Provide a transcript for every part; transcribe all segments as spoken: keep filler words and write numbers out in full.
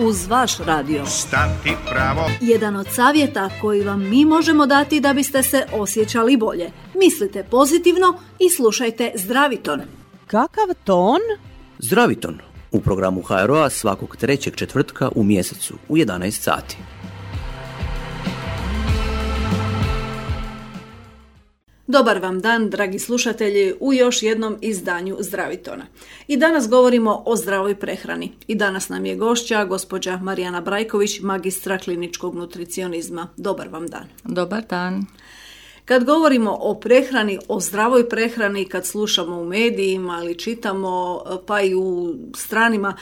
uz vaš radio. Stati pravo. Jedan od savjeta koji vam mi možemo dati da biste se osjećali bolje. Mislite pozitivno i slušajte Zdraviton. Kakav ton? Zdraviton u programu H R O-a svakog trećeg četvrtka u mjesecu u jedanaest sati. Dobar vam dan, dragi slušatelji, u još jednom izdanju Zdravitona. I danas govorimo o zdravoj prehrani. I danas nam je gošća gospođa Marijana Brajković, magistra kliničkog nutricionizma. Dobar vam dan. Dobar dan. Kad govorimo o prehrani, o zdravoj prehrani, kad slušamo u medijima ili čitamo, pa i u stranima,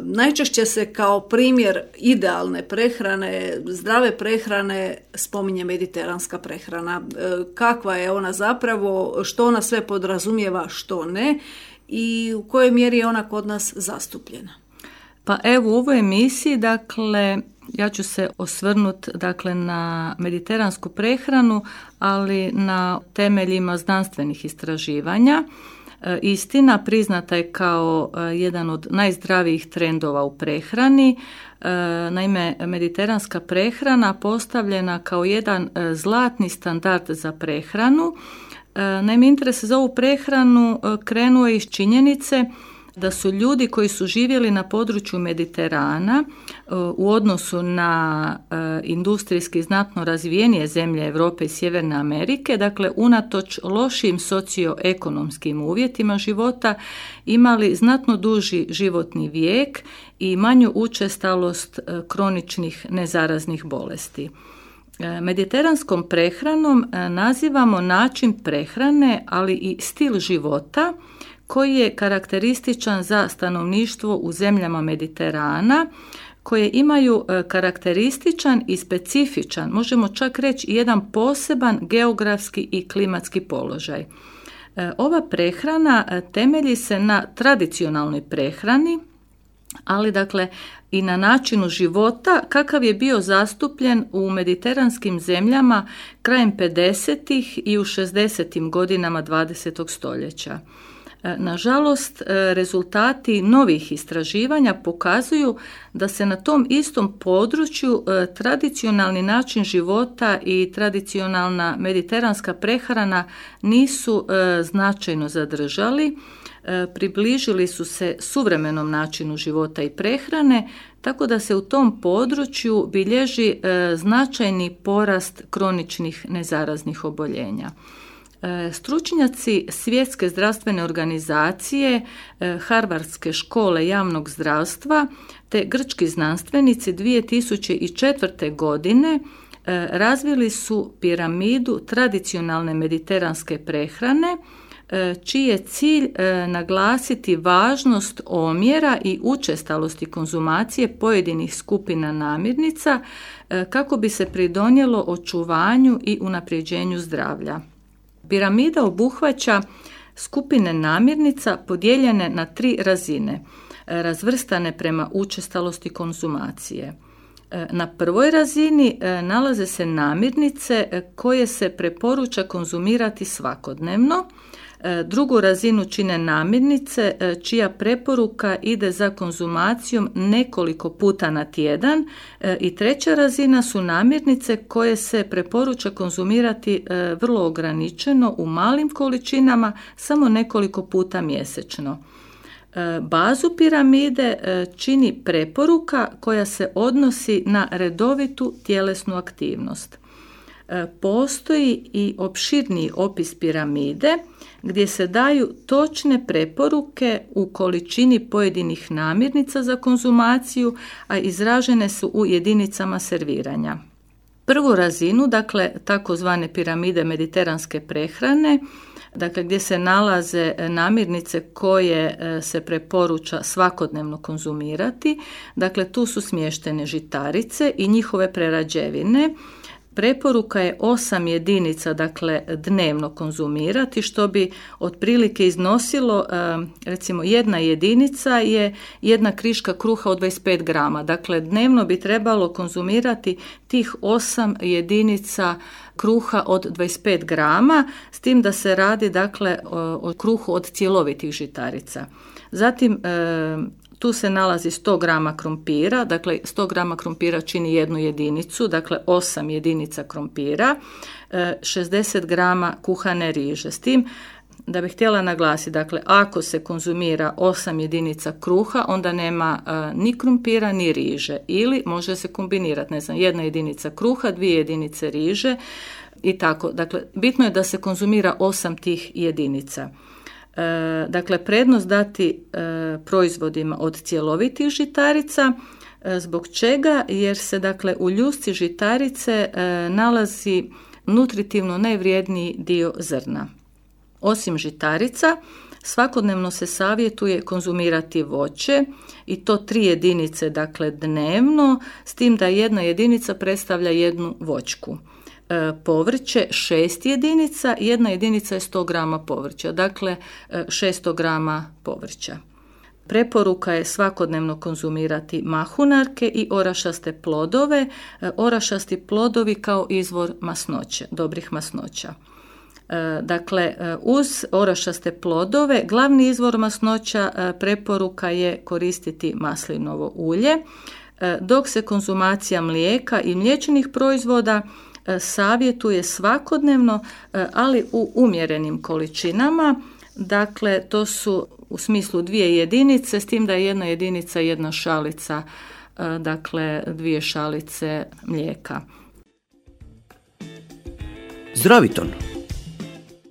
najčešće se kao primjer idealne prehrane, zdrave prehrane spominje mediteranska prehrana. Kakva je ona zapravo, što ona sve podrazumijeva, što ne i u kojoj mjeri je ona kod nas zastupljena? Pa evo u ovoj emisiji, dakle, ja ću se osvrnuti dakle, na mediteransku prehranu, ali na temeljima znanstvenih istraživanja. E, istina priznata je kao e, jedan od najzdravijih trendova u prehrani. E, naime, mediteranska prehrana postavljena kao jedan e, zlatni standard za prehranu. E, naime, interes za ovu prehranu e, krenuo je iz činjenice da su ljudi koji su živjeli na području Mediterana u odnosu na industrijski znatno razvijenije zemlje Europe i Sjeverne Amerike, dakle unatoč lošim socioekonomskim uvjetima života, imali znatno duži životni vijek i manju učestalost kroničnih nezaraznih bolesti. Mediteranskom prehranom nazivamo način prehrane, ali i stil života koji je karakterističan za stanovništvo u zemljama Mediterana, koje imaju karakterističan i specifičan, možemo čak reći jedan poseban geografski i klimatski položaj. Ova prehrana temelji se na tradicionalnoj prehrani, ali dakle i na načinu života kakav je bio zastupljen u mediteranskim zemljama krajem pedesetih i u šezdesetim godinama dvadesetog stoljeća. Nažalost, rezultati novih istraživanja pokazuju da se na tom istom području tradicionalni način života i tradicionalna mediteranska prehrana nisu značajno zadržali, približili su se suvremenom načinu života i prehrane, tako da se u tom području bilježi značajni porast kroničnih nezaraznih oboljenja. Stručnjaci Svjetske zdravstvene organizacije, Harvardske škole javnog zdravstva te grčki znanstvenici dvije tisuće četvrte. godine razvili su piramidu tradicionalne mediteranske prehrane, čiji je cilj naglasiti važnost omjera i učestalosti konzumacije pojedinih skupina namirnica kako bi se pridonijelo očuvanju i unapređenju zdravlja. Piramida obuhvaća skupine namirnica podijeljene na tri razine, razvrstane prema učestalosti konzumacije. Na prvoj razini nalaze se namirnice koje se preporuča konzumirati svakodnevno. Drugu razinu čine namirnice čija preporuka ide za konzumacijom nekoliko puta na tjedan i treća razina su namirnice koje se preporuča konzumirati vrlo ograničeno u malim količinama samo nekoliko puta mjesečno. Bazu piramide čini preporuka koja se odnosi na redovitu tjelesnu aktivnost. Postoji i opširniji opis piramide gdje se daju točne preporuke u količini pojedinih namirnica za konzumaciju, a izražene su u jedinicama serviranja. Prvu razinu, dakle takozvane piramide mediteranske prehrane, dakle gdje se nalaze namirnice koje se preporuča svakodnevno konzumirati, dakle tu su smještene žitarice i njihove prerađevine. Preporuka je osam jedinica, dakle dnevno konzumirati, što bi otprilike iznosilo, recimo jedna jedinica je jedna kriška kruha od dvadeset pet grama. Dakle, dnevno bi trebalo konzumirati tih osam jedinica kruha od dvadeset pet grama, s tim da se radi dakle o kruhu od cjelovitih žitarica. Zatim, Tu se nalazi sto grama krompira, dakle sto grama krompira čini jednu jedinicu, dakle osam jedinica krompira, šezdeset grama kuhane riže. S tim da bih htjela naglasiti, dakle ako se konzumira osam jedinica kruha, onda nema uh, ni krumpira ni riže, ili može se kombinirati, ne znam, jedna jedinica kruha, dvije jedinice riže i tako. Dakle, bitno je da se konzumira osam tih jedinica. E, dakle, prednost dati e, proizvodima od cjelovitih žitarica. E, zbog čega? Jer se, dakle, u ljusci žitarice e, nalazi nutritivno najvrijedniji dio zrna. Osim žitarica, svakodnevno se savjetuje konzumirati voće i to tri jedinice, dakle, dnevno, s tim da jedna jedinica predstavlja jednu voćku. E, povrće šest jedinica, jedna jedinica je sto grama povrća, dakle šesto grama povrća. Preporuka je svakodnevno konzumirati mahunarke i orašaste plodove, e, orašasti plodovi kao izvor masnoće, dobrih masnoća. E, dakle, uz orašaste plodove glavni izvor masnoća e, preporuka je koristiti maslinovo ulje, e, dok se konzumacija mlijeka i mliječnih proizvoda savjetuje svakodnevno, ali u umjerenim količinama. Dakle, to su u smislu dvije jedinice, s tim da je jedna jedinica jedna šalica, dakle dvije šalice mlijeka. Zdraviton.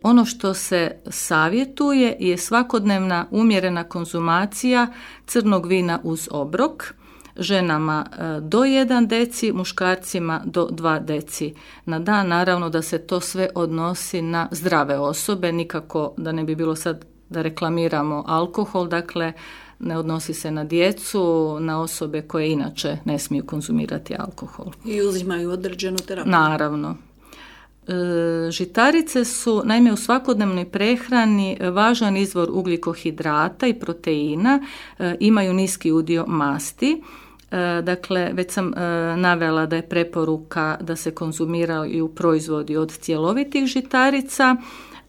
Ono što se savjetuje je svakodnevna umjerena konzumacija crnog vina uz obrok, ženama do jedan deci, muškarcima do dva deci na dan. Naravno da se to sve odnosi na zdrave osobe, nikako da ne bi bilo sad da reklamiramo alkohol, dakle ne odnosi se na djecu, na osobe koje inače ne smiju konzumirati alkohol. I uzimaju određenu terapiju. Naravno. E, žitarice su, naime, u svakodnevnoj prehrani važan izvor ugljikohidrata i proteina, e, imaju niski udio masti. E, dakle, već sam e, navela da je preporuka da se konzumiraju proizvodi od cjelovitih žitarica,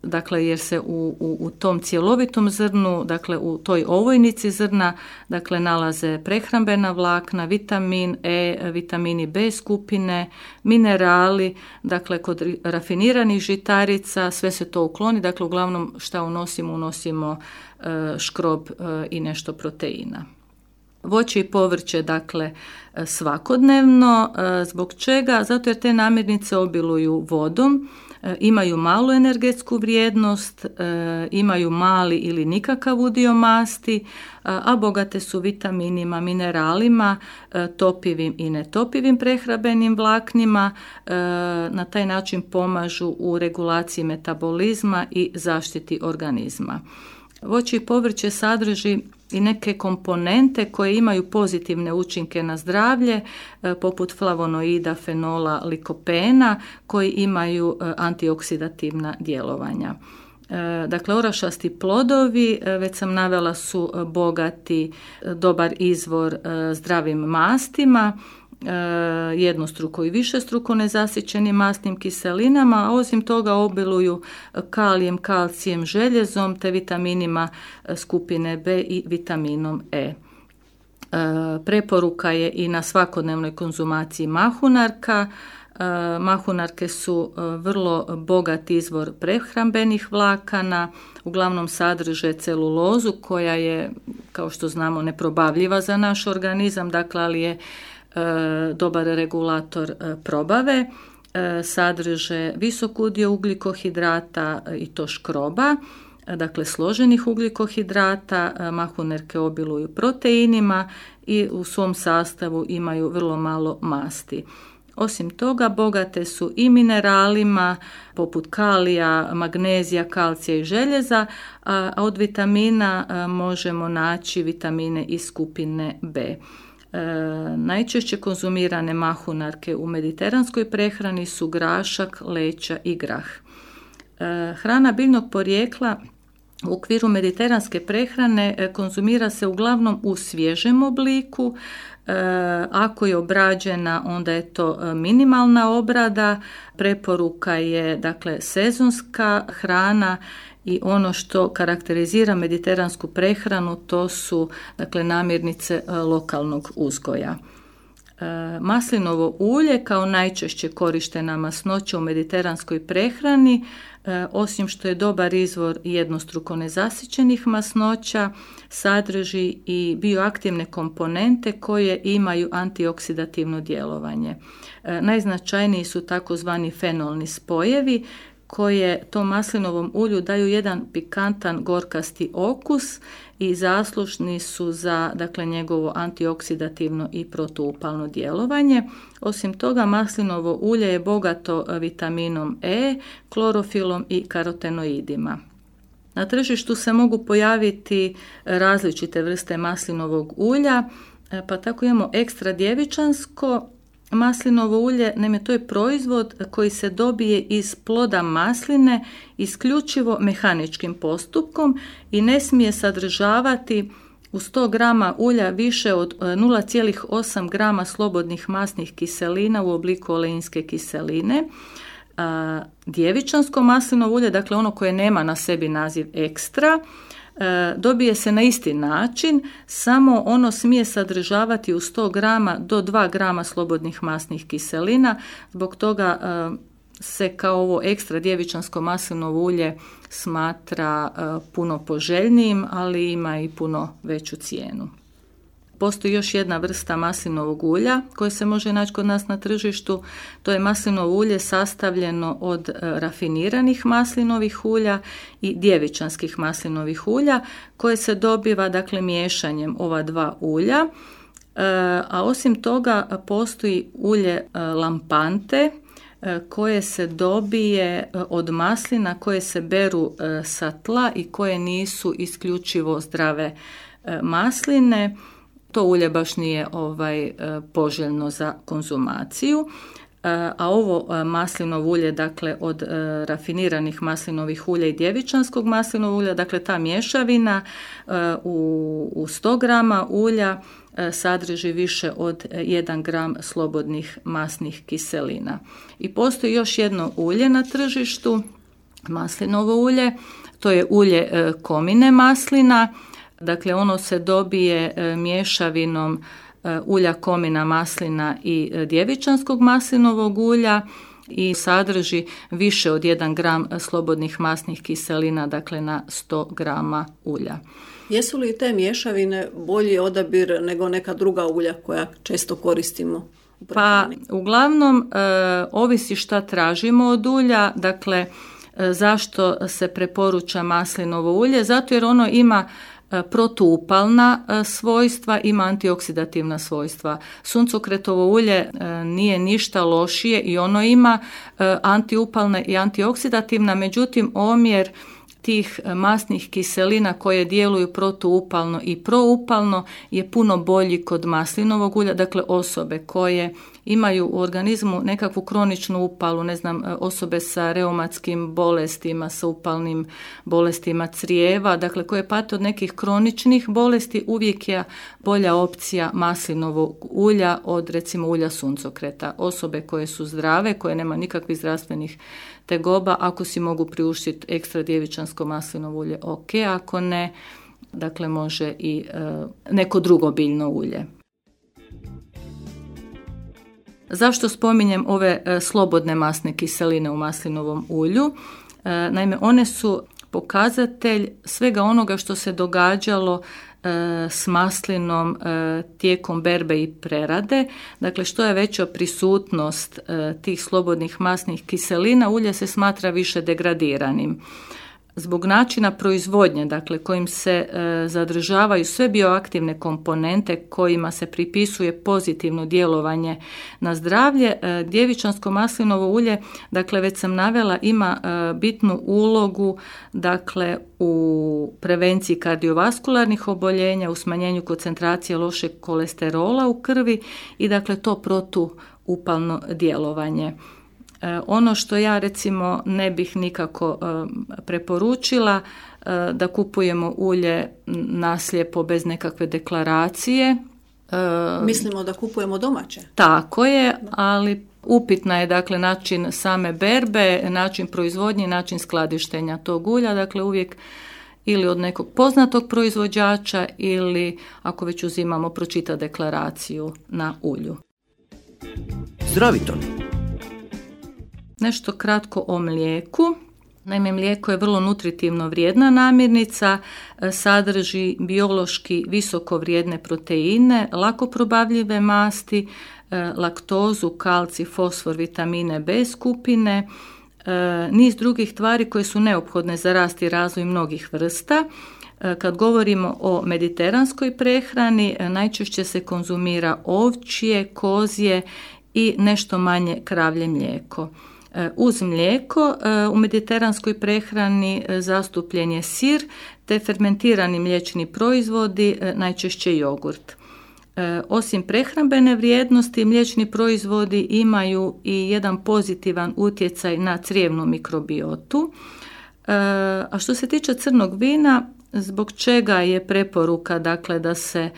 dakle jer se u, u, u tom cjelovitom zrnu, dakle u toj ovojnici zrna, dakle nalaze prehrambena vlakna, vitamin E, vitamini B skupine, minerali, dakle kod rafiniranih žitarica sve se to ukloni, dakle uglavnom šta unosimo, unosimo e, škrob e, i nešto proteina. Voće i povrće, dakle, svakodnevno. E, zbog čega? Zato jer te namirnice obiluju vodom, imaju malu energetsku vrijednost, imaju mali ili nikakav udio masti, a bogate su vitaminima, mineralima, topivim i netopivim prehrambenim vlaknima. Na taj način pomažu u regulaciji metabolizma i zaštiti organizma. Voće i povrće sadrži i neke komponente koje imaju pozitivne učinke na zdravlje, poput flavonoida, fenola, likopena, koji imaju antioksidativna djelovanja. Dakle, orašasti plodovi, već sam navela, su bogati, dobar izvor zdravim mastima, jednostruko i višestruko nezasićenim mastnim kiselinama, a osim toga obiluju kalijem, kalcijem, željezom te vitaminima skupine B i vitaminom E. Preporuka je i na svakodnevnoj konzumaciji mahunarka. Mahunarke su vrlo bogat izvor prehrambenih vlakana, uglavnom sadrže celulozu koja je, kao što znamo, neprobavljiva za naš organizam, dakle, ali je dobar regulator probave, sadrže visok udio ugljikohidrata i to škroba, dakle složenih ugljikohidrata. Mahunarke obiluju proteinima i u svom sastavu imaju vrlo malo masti. Osim toga, bogate su i mineralima poput kalija, magnezija, kalcija i željeza, a od vitamina možemo naći vitamine iz skupine B. E, najčešće konzumirane mahunarke u mediteranskoj prehrani su grašak, leća i grah. E, hrana biljnog porijekla U okviru mediteranske prehrane konzumira se uglavnom u svježem obliku. E, ako je obrađena, onda je to minimalna obrada. Preporuka je dakle sezonska hrana i ono što karakterizira mediteransku prehranu to su dakle namirnice lokalnog uzgoja. Maslinovo ulje kao najčešće korištena masnoća u mediteranskoj prehrani, osim što je dobar izvor jednostruko nezasićenih masnoća, sadrži i bioaktivne komponente koje imaju antioksidativno djelovanje. Najznačajniji su takozvani fenolni spojevi koje tom maslinovom ulju daju jedan pikantan gorkasti okus i zaslužni su za dakle, njegovo antioksidativno i protuupalno djelovanje. Osim toga, maslinovo ulje je bogato vitaminom E, klorofilom i karotenoidima. Na tržištu se mogu pojaviti različite vrste maslinovog ulja, pa tako imamo ekstra djevičansko maslinovo ulje. Naime, to je proizvod koji se dobije iz ploda masline isključivo mehaničkim postupkom i ne smije sadržavati u sto grama ulja više od nula zarez osam grama slobodnih masnih kiselina u obliku oleinske kiseline. A, djevičansko maslinovo ulje, dakle ono koje nema na sebi naziv ekstra, dobije se na isti način, samo ono smije sadržavati u sto grama do dva grama slobodnih masnih kiselina. Zbog toga se kao ovo ekstra djevičansko maslinovo ulje smatra puno poželjnijim, ali ima i puno veću cijenu. Postoji još jedna vrsta maslinovog ulja koje se može naći kod nas na tržištu. To je maslinovo ulje sastavljeno od rafiniranih maslinovih ulja i djevičanskih maslinovih ulja koje se dobiva dakle miješanjem ova dva ulja. A osim toga postoji ulje lampante koje se dobije od maslina koje se beru sa tla i koje nisu isključivo zdrave masline. To ulje baš nije ovaj, poželjno za konzumaciju, a ovo maslinovo ulje, dakle od rafiniranih maslinovih ulja i djevičanskog maslinovog ulja, dakle ta mješavina u, u sto grama ulja sadrži više od jedan gram slobodnih masnih kiselina. I postoji još jedno ulje na tržištu, maslinovo ulje, to je ulje komine maslina. Dakle, ono se dobije mješavinom ulja komina maslina i djevičanskog maslinovog ulja i sadrži više od jedan gram slobodnih masnih kiselina, dakle na sto grama ulja. Jesu li te mješavine bolji odabir nego neka druga ulja koja često koristimo? Pa, uglavnom, e, ovisi šta tražimo od ulja, dakle, e, zašto se preporuča maslinovo ulje? Zato jer ono ima protuupalna svojstva, ima antioksidativna svojstva. Suncokretovo ulje nije ništa lošije i ono ima antiupalna i antioksidativna, međutim omjer tih masnih kiselina koje djeluju protuupalno i proupalno je puno bolji kod maslinovog ulja. Dakle, osobe koje imaju u organizmu nekakvu kroničnu upalu, ne znam, osobe sa reumatskim bolestima, sa upalnim bolestima crijeva, dakle koje pate od nekih kroničnih bolesti, uvijek je bolja opcija maslinovog ulja od recimo ulja suncokreta. Osobe koje su zdrave, koje nema nikakvih zdravstvenih tegoba, ako si mogu priuštiti ekstra djevičansko maslinovo ulje, ok, ako ne, dakle može i e, neko drugo biljno ulje. Zašto spominjem ove e, slobodne masne kiseline u maslinovom ulju? E, naime, one su pokazatelj svega onoga što se događalo e, s maslinom e, tijekom berbe i prerade. Dakle, što je veća prisutnost e, tih slobodnih masnih kiselina, ulje se smatra više degradiranim. Zbog načina proizvodnje, dakle kojim se e, zadržavaju sve bioaktivne komponente kojima se pripisuje pozitivno djelovanje na zdravlje, e, djevičansko maslinovo ulje, dakle već sam navela, ima e, bitnu ulogu dakle u prevenciji kardiovaskularnih oboljenja, u smanjenju koncentracije lošeg kolesterola u krvi i dakle to protuupalno djelovanje. Ono što ja recimo ne bih nikako preporučila, da kupujemo ulje naslijepo bez nekakve deklaracije. Mislimo da kupujemo domaće. Tako je, ali upitna je dakle način same berbe, način proizvodnje, način skladištenja tog ulja, dakle uvijek ili od nekog poznatog proizvođača ili ako već uzimamo pročita deklaraciju na ulju. Zdraviton. Nešto kratko o mlijeku. Naime, mlijeko je vrlo nutritivno vrijedna namirnica, sadrži biološki visoko vrijedne proteine, lako probavljive masti, laktozu, kalcij, fosfor, vitamine B skupine, niz drugih tvari koje su neophodne za rast i razvoj mnogih vrsta. Kad govorimo o mediteranskoj prehrani, najčešće se konzumira ovčje, kozje i nešto manje kravlje mlijeko. Uz mlijeko u mediteranskoj prehrani zastupljen je sir te fermentirani mliječni proizvodi, najčešće jogurt. Osim prehrambene vrijednosti, mliječni proizvodi imaju i jedan pozitivan utjecaj na crijevnu mikrobiotu. A što se tiče crnog vina, zbog čega je preporuka dakle, da se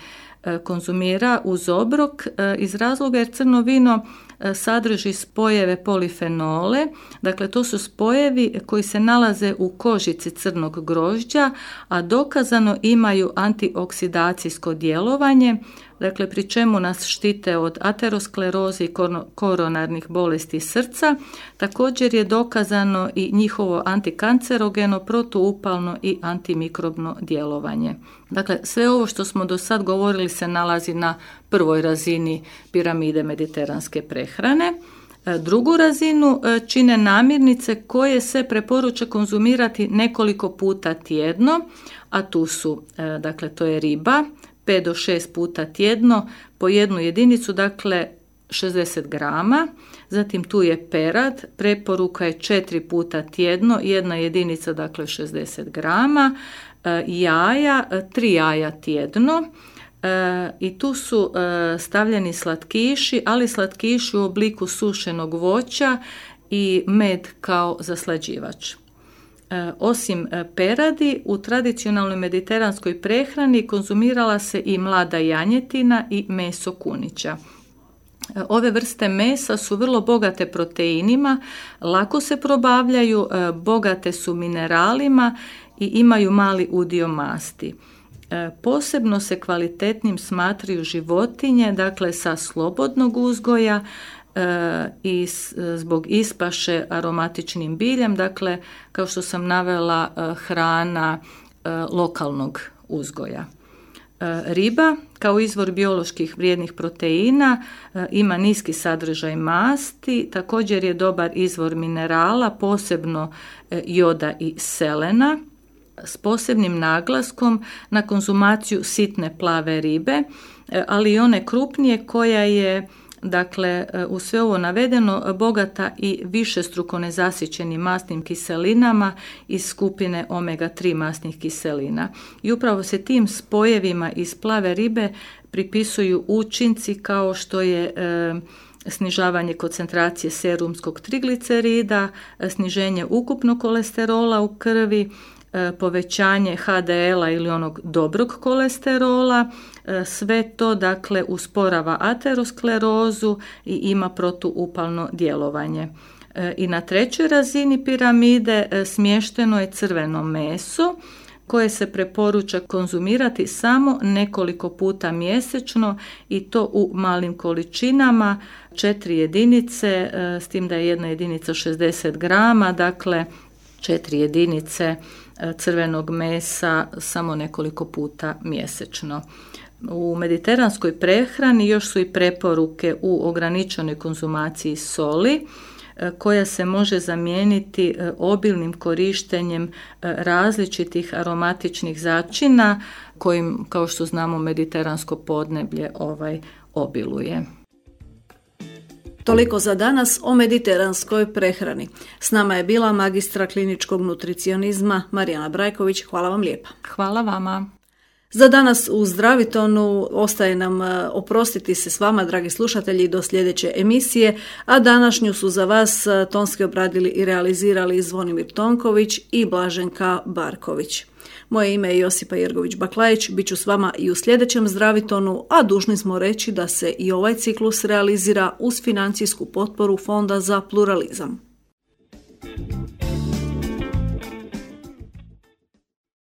konzumira uz obrok? Iz razloga jer crno vino sadrži spojeve polifenole, dakle to su spojevi koji se nalaze u kožici crnog grožđa, a dokazano imaju antioksidacijsko djelovanje, dakle pri čemu nas štite od ateroskleroze i koronarnih bolesti srca. Također je dokazano i njihovo antikancerogeno, protuupalno i antimikrobno djelovanje. Dakle, sve ovo što smo do sad govorili se nalazi na prvoj razini piramide mediteranske prehrane. Drugu razinu čine namirnice koje se preporuča konzumirati nekoliko puta tjedno, a tu su, dakle, to je riba, pet do šest puta tjedno po jednu jedinicu, dakle šezdeset grama. Zatim tu je perad, preporuka je četiri puta tjedno, jedna jedinica, dakle šezdeset grama. Jaja, tri jaja tjedno. I tu su stavljeni slatkiši, ali slatkiši u obliku sušenog voća i med kao zaslađivač. Osim peradi, u tradicionalnoj mediteranskoj prehrani konzumirala se i mlada janjetina i meso kunića. Ove vrste mesa su vrlo bogate proteinima, lako se probavljaju, bogate su mineralima i imaju mali udio masti. Posebno se kvalitetnim smatraju životinje, dakle sa slobodnog uzgoja i zbog ispaše aromatičnim biljem, dakle kao što sam navela, hrana lokalnog uzgoja. Riba kao izvor bioloških vrijednih proteina ima niski sadržaj masti, također je dobar izvor minerala, posebno joda i selena, s posebnim naglaskom na konzumaciju sitne plave ribe, ali i one krupnije koja je, dakle, u sve ovo navedeno, bogata i višestruko nezasićenim masnim kiselinama iz skupine omega tri masnih kiselina. I upravo se tim spojevima iz plave ribe pripisuju učinci kao što je e, snižavanje koncentracije serumskog triglicerida, sniženje ukupnog kolesterola u krvi, povećanje ha de el a ili onog dobrog kolesterola, sve to dakle usporava aterosklerozu i ima protuupalno djelovanje. I na trećoj razini piramide smješteno je crveno meso koje se preporuča konzumirati samo nekoliko puta mjesečno i to u malim količinama, četiri jedinice, s tim da je jedna jedinica šezdeset grama, dakle četiri jedinice crvenog mesa samo nekoliko puta mjesečno. U mediteranskoj prehrani još su i preporuke u ograničenoj konzumaciji soli, koja se može zamijeniti obilnim korištenjem različitih aromatičnih začina kojim, kao što znamo, mediteransko podneblje ovaj obiluje. Toliko za danas o mediteranskoj prehrani. S nama je bila magistra kliničkog nutricionizma Marijana Brajković. Hvala vam lijepa. Hvala vama. Za danas u Zdravitonu ostaje nam oprostiti se s vama, dragi slušatelji, do sljedeće emisije, a današnju su za vas tonski obradili i realizirali Zvonimir Tonković i Blaženka Barković. Moje ime je Josipa Jergović-Baklajić, bit ću s vama i u sljedećem Zdravitonu, a dužni smo reći da se i ovaj ciklus realizira uz financijsku potporu Fonda za pluralizam.